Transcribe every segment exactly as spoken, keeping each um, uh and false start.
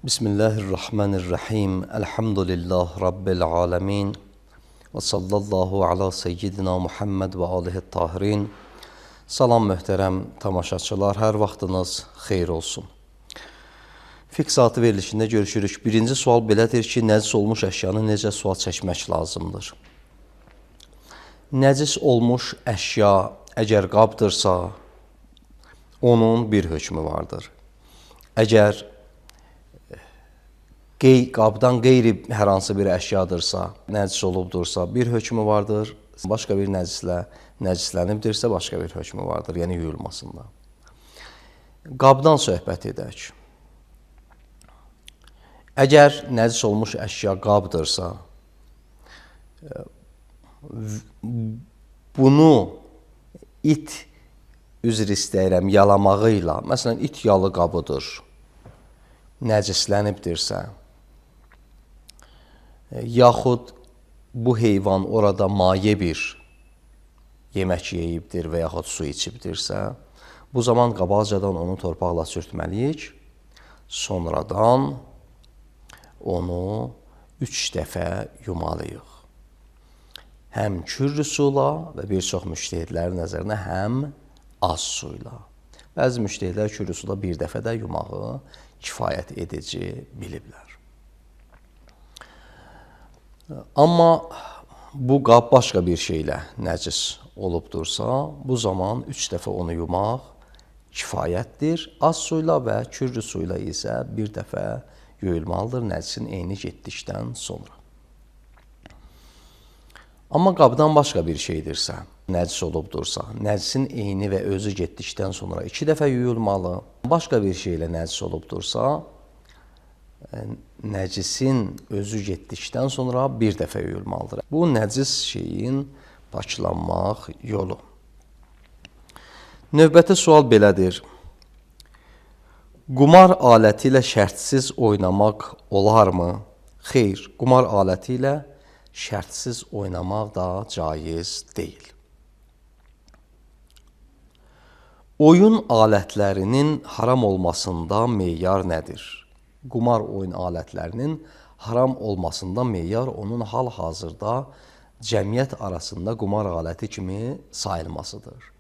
Bismillahirrahmanirrahim. Elhamdülillah Rabbil alemin. Və sallallahu ala seyyidina Muhammed və alihi tahirin. Salam möhtərəm tamaşaçılar, hər vaxtınız xeyir olsun. Fiqh saatı verilişində görüşürük. Birinci sual belədir ki, nəcis olmuş əşyanı necə sual çəkmək lazımdır? Nəcis olmuş əşya əgər qabdırsa, onun bir hökmü vardır. Əgər qey, qabdan qeyri hər hansı bir əşyadırsa, nəcis olubdursa, bir hökmü vardır. Başqa bir nəcislə nəcislənibdirsə, başqa bir hökmü vardır, yəni yuyulmasında. Qabdan söhbət edək. Əgər nəcis olmuş əşya qabdırsa, bunu it, üzr istəyirəm, yalamağıyla, məsələn, it yalı qabıdır, nəcislənibdirsə, yaxud bu heyvan orada maye bir yemək yeyibdir və yaxud su içibdirsə, bu zaman qabaqcadan onu torpaqla sürtməliyik, sonradan onu üç dəfə yumalıyıq. Həm kürrü suyla və bir çox müştəhidlərin nəzərinə həm az suyla. Bəzi müştəhidlər kürrü suyla bir dəfə də yumağı kifayət edici biliblər. Amma bu qab başqa bir şeylə nəcis olubdursa, bu zaman üç dəfə onu yumaq kifayətdir. Az suyla və kürrü suyla isə bir dəfə yuyulmalıdır nəcisin eyni getdikdən sonra. Amma qabdan başqa bir şeydirsə, nəcis olubdursa, nəcisin eyni və özü getdikdən sonra iki dəfə yuyulmalı. Başqa bir şeylə nəcis olubdursa, nəcisin özü getdikdən sonra bir dəfə yuyulmalıdır. Bu, nəcis şeyin paklanmaq yolu. Növbəti sual belədir. Qumar aləti ilə şərtsiz oynamaq olarmı? Xeyr, qumar aləti ilə şərtsiz oynamaq da caiz deyil. Oyun alətlərinin haram olmasında meyar nədir? Qumar oyun alətlərinin haram olmasında meyar onun hal-hazırda cəmiyyət arasında qumar aləti kimi sayılmasıdır.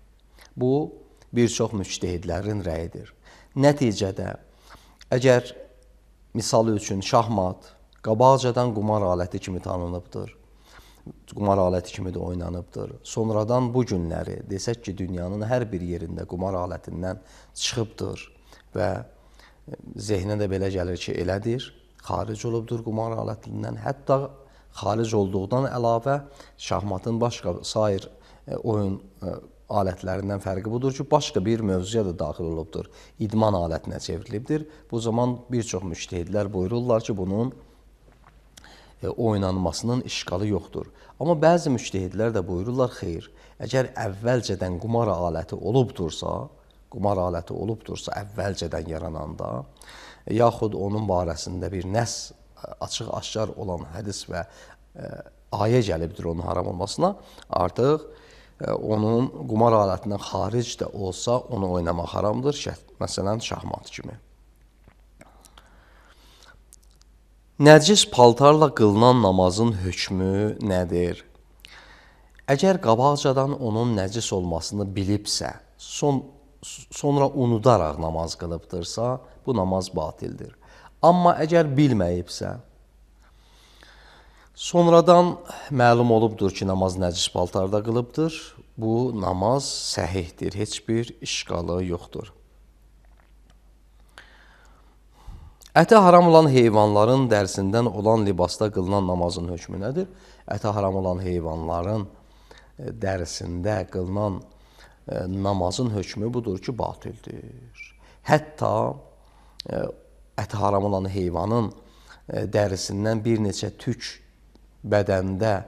Bu, bir çox müctəhidlərin rəyidir. Nəticədə, əgər misal üçün şahmat qabaqcadan qumar aləti kimi tanınıbdır, qumar aləti kimi də oynanıbdır. Sonradan bu günləri desək ki, dünyanın hər bir yerində qumar alətindən çıxıbdır və zehnə də belə gəlir ki, elədir, xaric olubdur qumar alətindən. Hətta xaric olduğundan əlavə şahmatın başqa sair oyun alətlərindən fərqi budur ki, başqa bir mövzuya da daxil olubdur. İdman alətinə çevrilibdir. Bu zaman bir çox müştəhidlər buyururlar ki, bunun oynanmasının işqalı yoxdur. Amma bəzi müştəhidlər də buyururlar, xeyr, əgər əvvəlcədən qumar aləti olubdursa, qumar aləti olubdursa əvvəlcədən yarananda, yaxud onun barəsində bir nəs açıq-aşkar olan hədis və ayə gəlibdir onun haram olmasına, artıq onun qumar alətindən xaric də olsa, onu oynamaq haramdır, məsələn, şahmat kimi. Nəcis paltarla qılınan namazın hökmü nədir? Əgər qabaqcadan onun nəcis olmasını bilibsə, son, sonra unudaraq namaz qılıbdırsa, bu namaz batildir. Amma əgər bilməyibsə, sonradan məlum olubdur ki, namaz nəcis paltarda qılıbdır, bu namaz səhihdir, heç bir işqalı yoxdur. Əti haram olan heyvanların dərsindən olan libasda qılınan namazın hökmü nədir? Əti haram olan heyvanların dərisində qılınan namazın hökmü budur ki, batildir. Hətta əti haram olan heyvanın dərisindən bir neçə tük bədəndə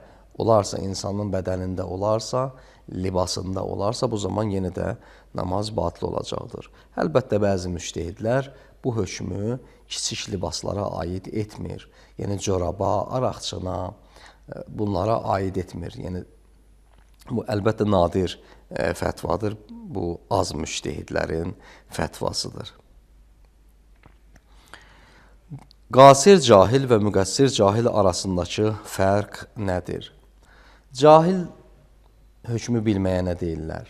olarsa, insanın bədənində olarsa, libasında olarsa, bu zaman yenə də namaz batil olacaqdır. Əlbəttə, bəzi müştəhidlər bu hökmü kiçik libaslara aid etmir. Yəni, coraba, araqçına, bunlara aid etmir. Yəni, bu, əlbəttə, nadir fətvadır. Bu, az müştəhidlərin fətvasıdır. Qasir cahil və müqəssir cahil arasındakı fərq nədir? Cahil hökmü bilməyənə deyirlər.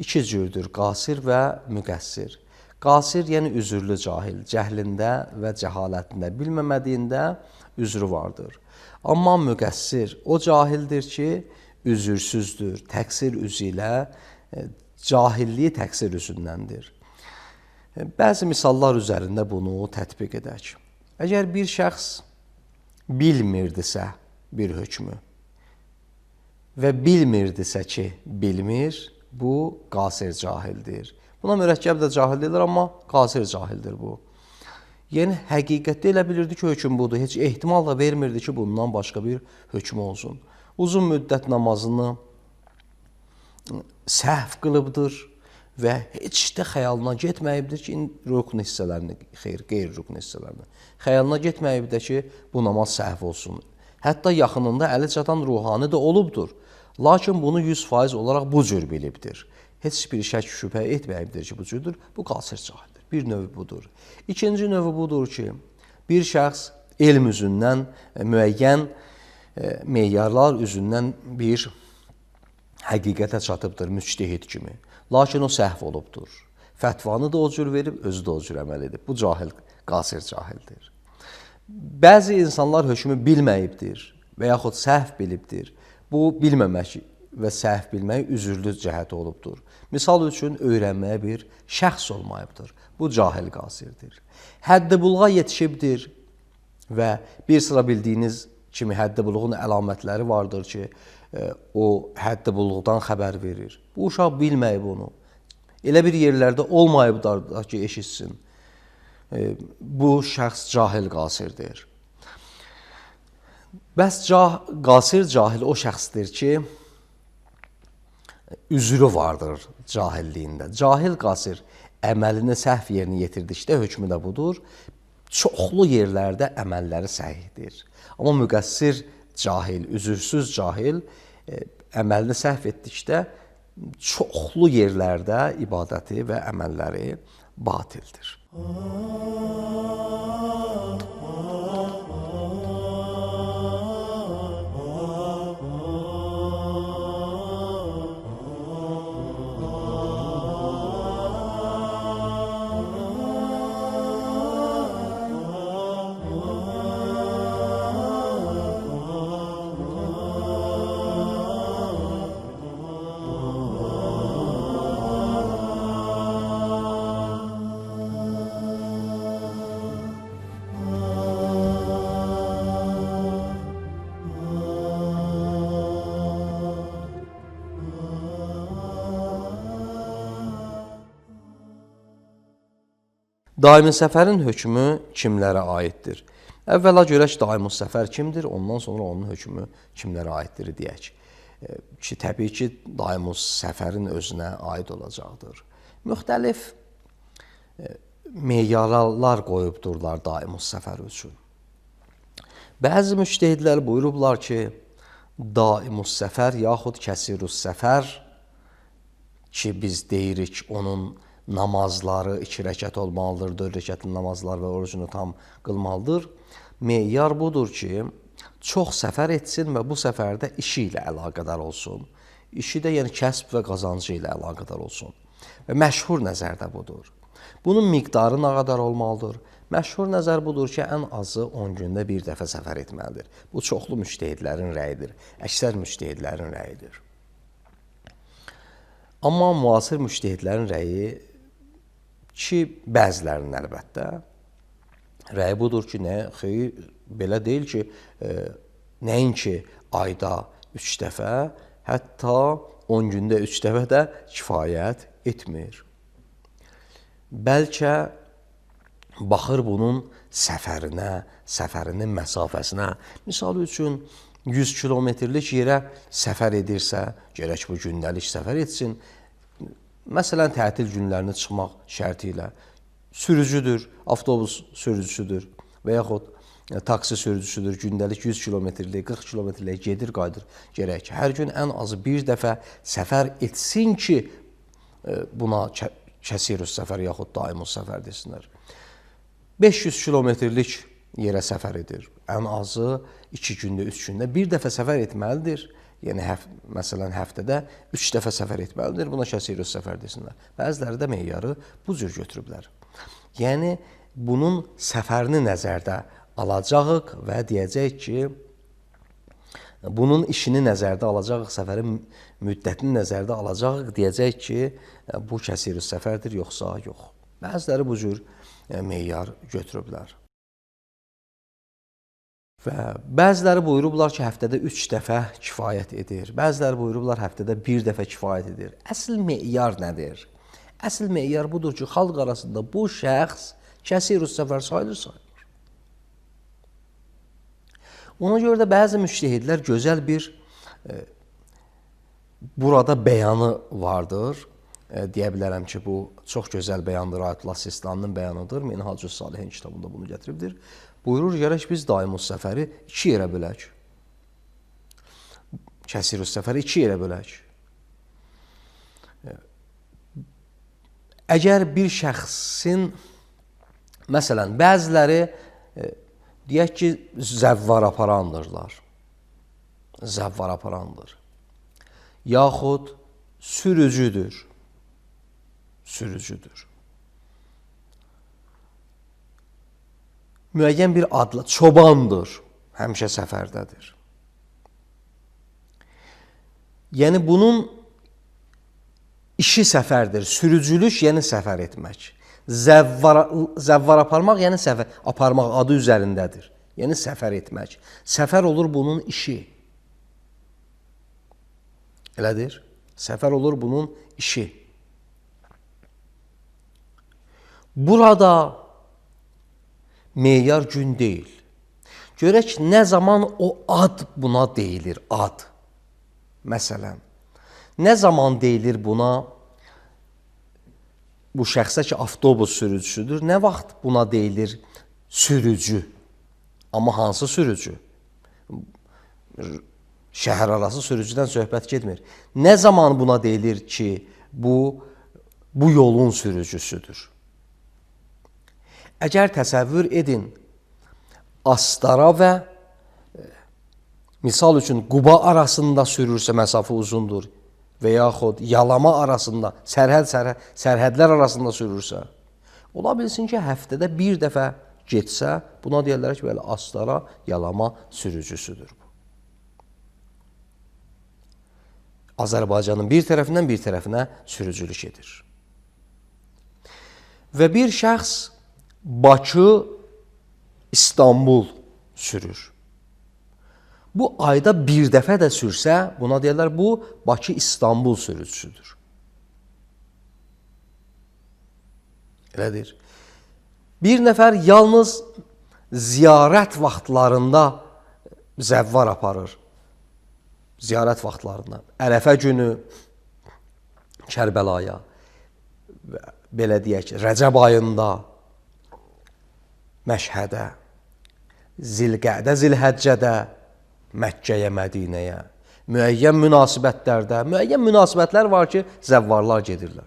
İki cürdür, qasir və müqəssir. Qasir, yəni üzürlü cahil, cəhlində və cəhalətində, bilməmədiyində üzrü vardır. Amma müqəssir, o cahildir ki, üzürsüzdür, təqsir üzü ilə, cahilliyi təqsir üzündəndir. Bəzi misallar üzərində bunu tətbiq edək. Əgər bir şəxs bilmirdisə bir hökmü və bilmirdisə ki, bilmir, bu qasir cahildir. Buna mürəkkəb də cahil deyilir, amma qasir cahildir bu. Yəni, həqiqətdə elə bilirdi ki, hökm budur. Heç ehtimal da vermirdi ki, bundan başqa bir hökm olsun. Uzun müddət namazını səhv qılıbdır və heç də xəyalına getməyibdir ki, rükn hissələrini, xeyr, qeyri-rükn hissələrini. Xəyalına getməyibdir ki, bu namaz səhv olsun. Hətta yaxınında əli çatan ruhani də olubdur. Lakin bunu yüz faiz olaraq bu cür bilibdir. Heç bir şək şübhə etməyibdir ki, bu cürdür. Bu qasir cahildir. Bir növü budur. İkinci növü budur ki, bir şəxs elm üzündən, müəyyən meyarlar üzündən bir həqiqətə çatıbdır, müctehid kimi. Lakin o səhv olubdur. Fətvanı da o cür verib, özü də o cür əməl edib. Bu cahil, qasir cahildir. Bəzi insanlar hökmü bilməyibdir və yaxud səhv bilibdir. Bu, bilməmək və səhv bilmək üzürlü cəhəti olubdur. Misal üçün, öyrənməyə bir şəxs olmayıbdır. Bu, cahil qasirdir. Həddi buluğa yetişibdir və bir sıra bildiyiniz kimi həddi buluğun əlamətləri vardır ki, o həddi buluğdan xəbər verir. Bu uşaq bilməyib onu. Elə bir yerlərdə olmayıbdır ki, eşitsin. Bu şəxs cahil qasirdir. Bəs qasir cahil o şəxsdir ki, üzrü vardır cahilliyində. Cahil qasir əməlini səhv yerinə yetirdikdə hökmü də budur. Çoxlu yerlərdə əməlləri səhihdir. Amma müqəssir cahil, üzürsüz cahil əməlini səhv etdikdə çoxlu yerlərdə ibadəti və əməlləri batildir. Daimi səfərin hökmü kimlərə aiddir? Əvvəla görək daimi səfər kimdir, ondan sonra onun hökmü kimlərə aiddir deyək. Ki, təbii ki, daimi səfərin özünə aid olacaqdır. Müxtəlif meyarlar qoyubdurlar daimi səfər üçün. Bəzi müctehidlər buyurublar ki, daimi səfər yaxud kəsirus səfər ki, biz deyirik onun namazları iki rəkət olmalıdır, dörd rəkətli namazlar və orucunu tam qılmalıdır. Meyar budur ki, çox səfər etsin və bu səfərdə işi ilə əlaqədar olsun. İşi də yəni kəsb və qazancı ilə əlaqədar olsun. Və məşhur nəzər də budur. Bunun miqdarı nə qədər olmalıdır? Məşhur nəzər budur ki, ən azı on gündə bir dəfə səfər etməlidir. Bu, çoxlu müctehidlərin rəyidir, əksər müctehidlərin rəyidir. Amma müasir müctehidlərin rəyi ki, bəzilərinin əlbəttə, rəyi budur ki, nə, xeyr, belə deyil ki, e, nəinki ayda üç dəfə, hətta on gündə üç dəfə də kifayət etmir. Bəlkə baxır bunun səfərinə, səfərinin məsafəsinə. Misal üçün, yüz kilometrlik yerə səfər edirsə, gərək bu gündəlik səfər etsin. Məsələn, tətil günlərini çıxmaq şərti ilə sürücüdür, avtobus sürücüsüdür və yaxud taksi sürücüsüdür, gündəlik yüz kilometrlik, qırx kilometrlik gedir, qayıdır. Gərək hər gün ən azı bir dəfə səfər etsin ki, buna kəsirus səfər yaxud daimus səfər desinlər. beş yüz kilometrlik yerə səfər edir. Ən azı iki gündə, üç gündə bir dəfə səfər etməlidir. Yəni, həf məsələn, həftədə üç dəfə səfər etməlidir. Buna kəsirus səfər desinlər. Bəziləri də meyarı bu cür götürüblər. Yəni, bunun səfərini nəzərdə alacağıq və deyəcək ki, bunun işini nəzərdə alacağıq, səfərin müddətini nəzərdə alacağıq, deyəcək ki, bu kəsirus səfərdir, yoxsa yox. Bəziləri bu cür meyar götürüblər. Və bəziləri buyurublar ki, həftədə üç dəfə kifayət edir. Bəziləri buyurublar, həftədə bir dəfə kifayət edir. Əsl meyar nədir? Əsl meyar budur ki, xalq arasında bu şəxs kəsirus səfər sayılır, sayılır. Ona görə də bəzi müştəhidlər gözəl bir e, burada bəyanı vardır. E, deyə bilərəm ki, bu çox gözəl bəyandır. Ayətullah Sistaninin bəyanıdır. Minhacus Salihin kitabında bunu gətiribdir. Buyurur, gərək biz daimus səfəri iki yerə bölək. Kəsirus səfəri iki yerə bölək. Əgər bir şəxsin, məsələn, bəziləri e, deyək ki, zəvvar aparandırlar. Zəvvar aparandır. Yaxud sürücüdür. Sürücüdür. Müəyyən bir adla, çobandır, həmişə səfərdədir. Yəni, bunun işi səfərdir, sürücülük, yəni səfər etmək. Zəvvar, zəvvar aparmaq, yəni səfər aparmaq adı üzərindədir. Yəni, səfər etmək. Səfər olur bunun işi. Elədir? Səfər olur bunun işi. Burada meyar gün deyil. Görək, nə zaman o ad buna deyilir, ad. Məsələn, nə zaman deyilir buna, bu şəxsə ki, avtobus sürücüsüdür, nə vaxt buna deyilir sürücü? Amma hansı sürücü? Şəhər arası sürücüdən söhbət getmir. Nə zaman buna deyilir ki, bu, bu yolun sürücüsüdür? Əgər təsəvvür edin, Astara və misal üçün Quba arasında sürürsə məsafə uzundur və yaxud Yalama arasında, sərhəd, sərhəd, sərhədlər arasında sürürsə, ola bilsin ki, həftədə bir dəfə getsə, buna deyirlər ki, belə Astara, Yalama sürücüsüdür bu. Azərbaycanın bir tərəfindən bir tərəfinə sürücülük edir. Və bir şəxs Bakı, İstanbul sürür. Bu ayda bir dəfə də sürsə, buna deyirlər, bu Bakı, İstanbul sürücüsüdür. Elədir. Bir nəfər yalnız ziyarət vaxtlarında zəvvar aparır. Ziyarət vaxtlarında. Ərəfə günü Kərbəlaya, belə deyək, Rəcəb ayında Məşhədə, Zilqədə, Zilhəccədə, Məkkəyə, Mədinəyə, müəyyən münasibətlərdə, müəyyən münasibətlər var ki, zəvvarlar gedirlər.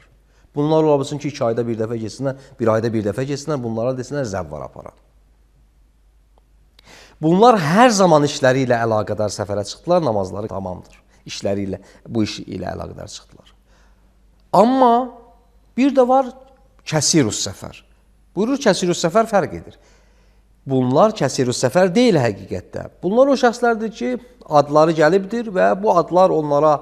Bunlar ola bilsin ki, iki ayda bir dəfə geçsinlər, bir ayda bir dəfə geçsinlər, bunlara desinlər zəvvar aparan. Bunlar hər zaman işləri ilə əlaqədar səfərə çıxdılar, namazları tamamdır. İşləri ilə, bu iş ilə əlaqədar çıxdılar. Amma bir də var kəsirus səfər. Buyurur, kəsirus səfər fərq edir. Bunlar kəsirus səfər deyil həqiqətdə. Bunlar o şəxslərdir ki, adları gəlibdir və bu adlar onlara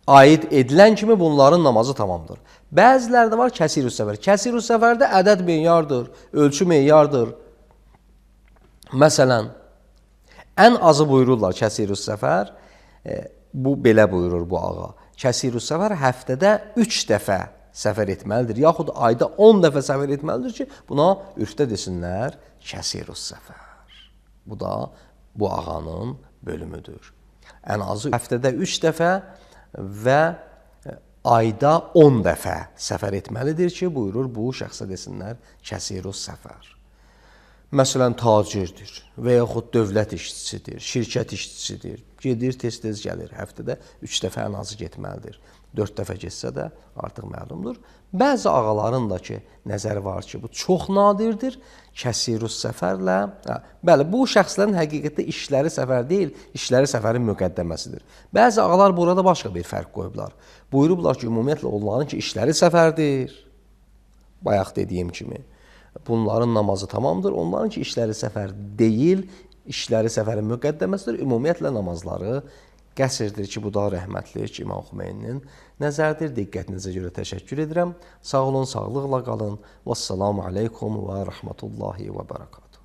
aid edilən kimi bunların namazı tamamdır. Bəziləri də var kəsirus səfər. Kəsirus səfərdə ədəd meyardır, ölçü meyardır. Məsələn, ən azı buyururlar kəsirus səfər, e, bu belə buyurur bu ağa. Kəsirus səfər həftədə üç dəfə səfər etməlidir, yaxud ayda on dəfə səfər etməlidir ki, buna ürfdə desinlər kəsirus səfər. Bu da bu ağanın bölümüdür. Ən azı həftədə üç dəfə və ayda on dəfə səfər etməlidir ki, buyurur bu şəxsə desinlər kəsirus səfər. Məsələn, tacirdir və yaxud dövlət işçisidir, şirkət işçisidir, gedir, tez-tez gəlir, həftədə üç dəfə ən azı getməlidir. dörd dəfə getsə də artıq məlumdur. Bəzi ağaların da ki, nəzəri var ki, bu çox nadirdir. Kəsirus səfərlə, hə, bəli, bu şəxslərin həqiqətdə işləri səfər deyil, işləri səfərin müqəddəməsidir. Bəzi ağalar burada başqa bir fərq qoyublar. Buyurublar ki, ümumiyyətlə onların ki, işləri səfərdir. Bayaq dediyim kimi, bunların namazı tamamdır. Onların ki, işləri səfər deyil, işləri səfərin müqəddəməsidir. Ümumiyyətlə namazları qəsrdir ki, bu da rəhmətli ki, İmam Xümeyninin nəzərdir. Diqqətinizə görə təşəkkür edirəm. Sağ olun, sağlıqla qalın. Vəssalamu aleykum və rəhmətullahi və bərəkatuhu.